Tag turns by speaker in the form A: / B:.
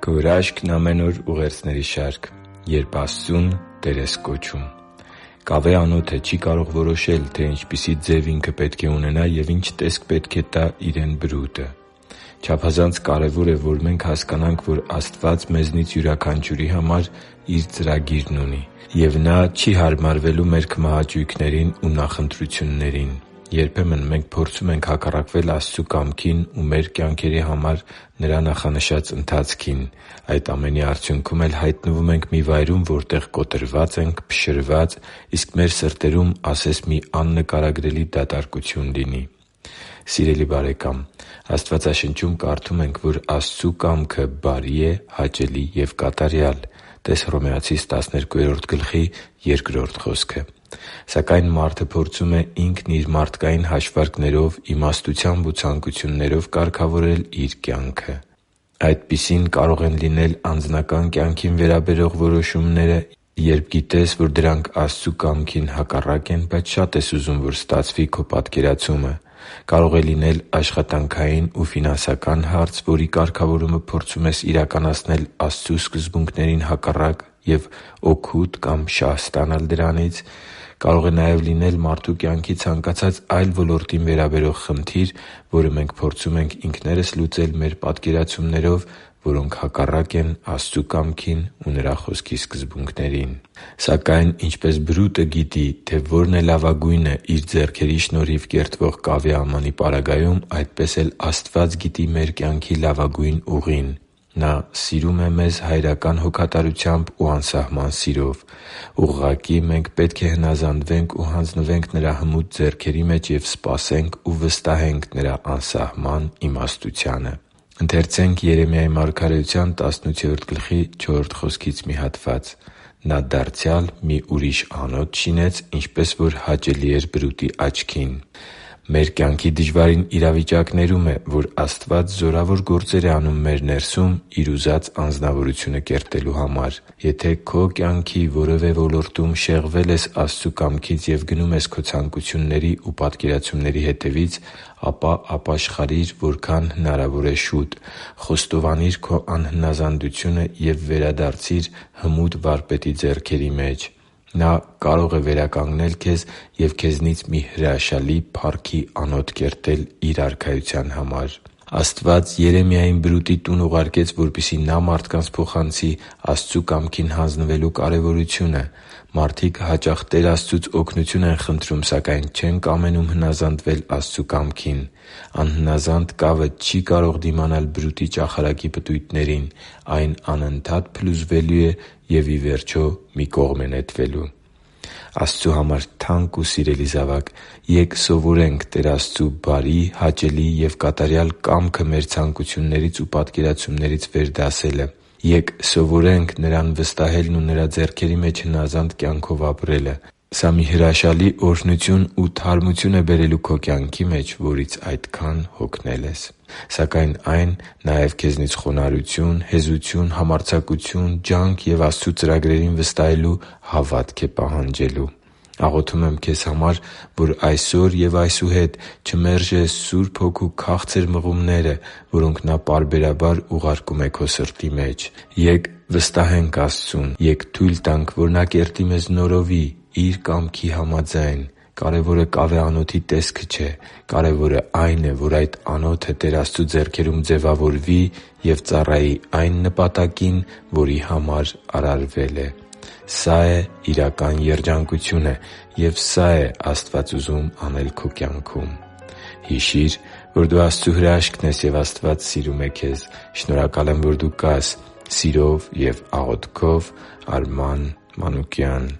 A: Քո հրաշքն ամեն օր ուղերձների շարք, երբ Աստծուն Տեր ես կոչում։ Կավե անոթը չի կարող որոշել, թե ինչպիսի ձև ինքը պետք է ունենա և ինչ տեսք պետք է տա իրեն բրուտը։ Չափազանց կարևոր է, որ մենք հասկանանք, որ Աստված մեզնից յուրաքանչյուրի համար Իր ծրագիրն ունի, և Նա չի հարմարվելու մեր քմահաճույքներին ու նախընտրություններին։ Երբեմն մենք փորձում ենք հակառակվել Աստծու կամքին ու մեր կյանքերի համար Նրա նախանշած ընթացքին։ Այդ ամենի արդյունքում էլ հայտնվում ենք մի վայրում, որտեղ կոտրված ենք, փշրված, իսկ մեր սրտերում ասես մի աննկարագրելի դատարկություն լինի։ Սիրելի՛ բարեկամ, Աստվածաշնչում կարդում ենք, որ Աստծու կամքը բարի է, հաճելի և կատարյալ (տե՛ս Հռոմեացիս 12:2 խոսքը)։ Սակայն մարդը փորձում է ինքն իր մարդկային հաշվարկներով, իմաստությամբ ու ցանկություններով կարգավորել իր կյանքը։ Այդպիսին կարող են լինել անձնական կյանքին վերաբերող որոշումները, երբ գիտես, որ դրանք Աստծու կամքին հակառակ են, բայց շատ ես ուզում, որ ստացվի քո պատկերացումը։ Կարող է լինել աշխատանքային ու ֆինանսական հարց, որի կարգավորումը փորձում ես իրականացնել Աստծու սկզբունքներին հակառակ և օգուտ կամ շահ ստանալ դրանից։ Կարող է նաև լինել մարդու կյանքի ցանկացած այլ ոլորտին վերաբերող խնդիր, որը մենք փորձում ենք ինքներս լուծել մեր պատկերացումներով, որոնք հակառակ են Աստծու կամքին ու Նրա Խոսքի սկզբունքներին։ Սակայն ինչպես բրուտը գիտի, թե որն է լավագույնը իր ձեռքերի շնորհիվ կերտվող կավե ամանի պարագայում, այդպես էլ Աստված գիտի մեր կյանքի լավագույն ուղին։ Նա սիրում է մեզ հայրական հոգատարությամբ ու անսահման սիրով։ Ուղղակի մենք պետք է հնազանդվենք ու հանձնվենք Նրա հմուտ ձեռքերի մեջ և սպասենք ու վստահենք Նրա անսահման իմաստությանը։ «Նա դարձյալ մի ուրիշ անոթ շինեց, ինչպես որ հաճելի էր բրուտի աչքին» (Երեմիա 18․4)։ Մեր կյանքի դժվարին իրավիճակներում է, որ Աստված զորավոր գործեր է անում մեր ներսում Իր ուզած անձնավորությունը կերտելու համար։ Եթե քո կյանքի որևէ ոլորտում շեղվել ես Աստծու կամքից և գնում ես քո ցանկությունների ու պատկերացումների հետևից, ապա ապաշխարի՛ր որքան հնարավոր է շուտ։ Խոստովանի՛ր քո անհնազանդությունը և վերադարձի՛ր հմուտ Վարպետի ձեռքերի մեջ։ Նա կարող է վերականգնել քեզ և քեզնից մի հրաշալի փառքի անոթ կերտել Իր Արքայության համար։ Աստված Երեմիային բրուտի տուն ուղարկեց, որպեսզի նա մարդկանց փոխանցի Աստծու կամքին հանձնվելու կարևորությունը։ Մարդիկ հաճախ Տեր Աստծուց օգնություն են խնդրում, սակայն չեն կամենում հնազանդվել Աստծու կամքին։ Անհնազանդ կավը չի կարող դիմանալ բրուտի ճախարակի պտույտներին։ Այն անընդհատ փլուզվելու է և, ի վերջո, մի կողմ է նետվելու։ Աստծու համար թանկ ու սիրելի՛ զավակ, ե՛կ սովորենք Տեր Աստծու բարի, հաճելի և կատարյալ կամքը մեր ցանկություններից ու պատկերացումներից վերդասելը։ Ե՛կ սովորենք Նրան վստահելն ու Նրա ձեռքերի մեջ հնազանդ կյանքով ապրելը։ Սա մի հրաշալի օրհնություն ու թարմություն է բերելու քո կյանքի մեջ, որից այդքան հոգնել ես։ Սակայն այն նաև քեզնից խոնարհություն, հեզություն, համարձակություն, ջանք և Աստծու ծրագրերին վստահելու հավատք է պահանջելու։ Աղոթում եմ քեզ համար, որ այսօր և այսուհետ չմերժես Սուրբ Հոգու քաղցր մղումները, որոնք Նա պարբերաբար ուղարկում է քո սրտի մեջ։ Ե՛կ վստահենք Աստծուն։ Ե՛կ թույլ տանք, որ Նա կերտի մեզ նորովի Իր կամքի համաձայն։ Կարևորը կավե անոթի տեսքը չէ։ Կարևորը այն է, որ այդ անոթը Տեր Աստծու ձեռքերում ձևավորվի և ծառայի այն նպատակին, որի համար արարվել է։ Սա՛ է իրական երջանկությունը, և սա՛ է Աստված ուզում անել քո կյանքում։ Հիշի՛ր, որ դու Աստծո հրաշքն ես, և Աստված սիրում է քեզ։ Շնորհակալ եմ, որ դու կա՛ս։ Սիրով և աղոթքով, Արման Մանուկյան։